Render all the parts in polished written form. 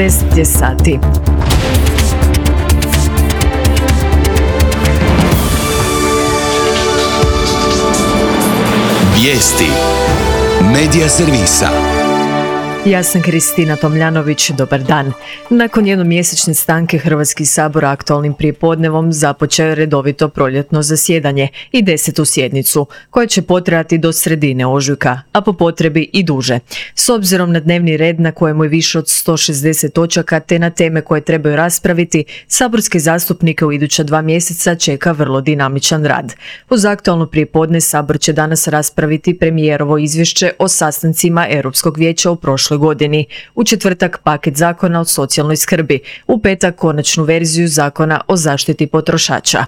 10 je sati. Vijesti Medija servisa. Ja sam Kristina Tomljanović, dobar dan. Nakon jednomjesečne stanke Hrvatski sabor aktualnim prijepodnevom započeo je redovito proljetno zasjedanje i 10. sjednicu, koja će potrajati do sredine ožujka, a po potrebi i duže. S obzirom na dnevni red na kojemu je više od 160 točaka te na teme koje trebaju raspraviti, saborske zastupnike u iduća 2 mjeseca čeka vrlo dinamičan rad. Uz aktualno prijepodne sabor će danas raspraviti premijerovo izvješće o sastancima Europskog vijeća u prošloj godini. U četvrtak paket zakona o socijalnoj skrbi, u petak konačnu verziju zakona o zaštiti potrošača.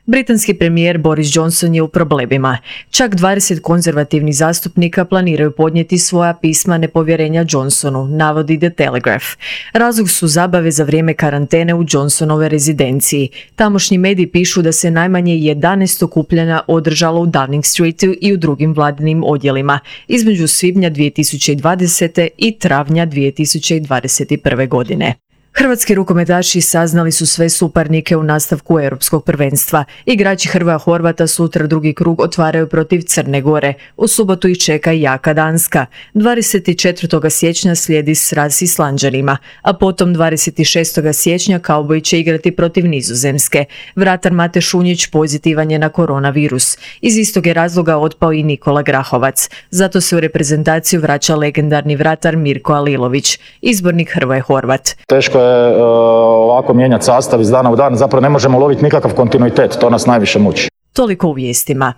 Britanski premijer Boris Johnson je u problemima. Čak 20 konzervativnih zastupnika planiraju podnijeti svoja pisma nepovjerenja Johnsonu, navodi The Telegraph. Razlog su zabave za vrijeme karantene u Johnsonove rezidenciji. Tamošnji mediji pišu da se najmanje 11 okupljanja održalo u Downing Streetu i u drugim vladinim odjelima između svibnja 2020. i travnja 2021. godine. Hrvatski rukometaši saznali su sve suparnike u nastavku europskog prvenstva. Igrači Hrvoja Horvata sutra drugi krug otvaraju protiv Crne Gore. U subotu ih čeka jaka Danska. 24. siječnja slijedi sraz s Islanđanima, a potom 26. siječnja kauboji će igrati protiv Nizozemske. Vratar Mate Šunjić pozitivan je na koronavirus. Iz istog je razloga otpao i Nikola Grahovac. Zato se u reprezentaciju vraća legendarni vratar Mirko Alilović, izbornik Hrvoje Horvat. Teško je ovako mijenjati sastav iz dana u dan, zapravo ne možemo loviti nikakav kontinuitet, to nas najviše muči. Toliko u vijestima.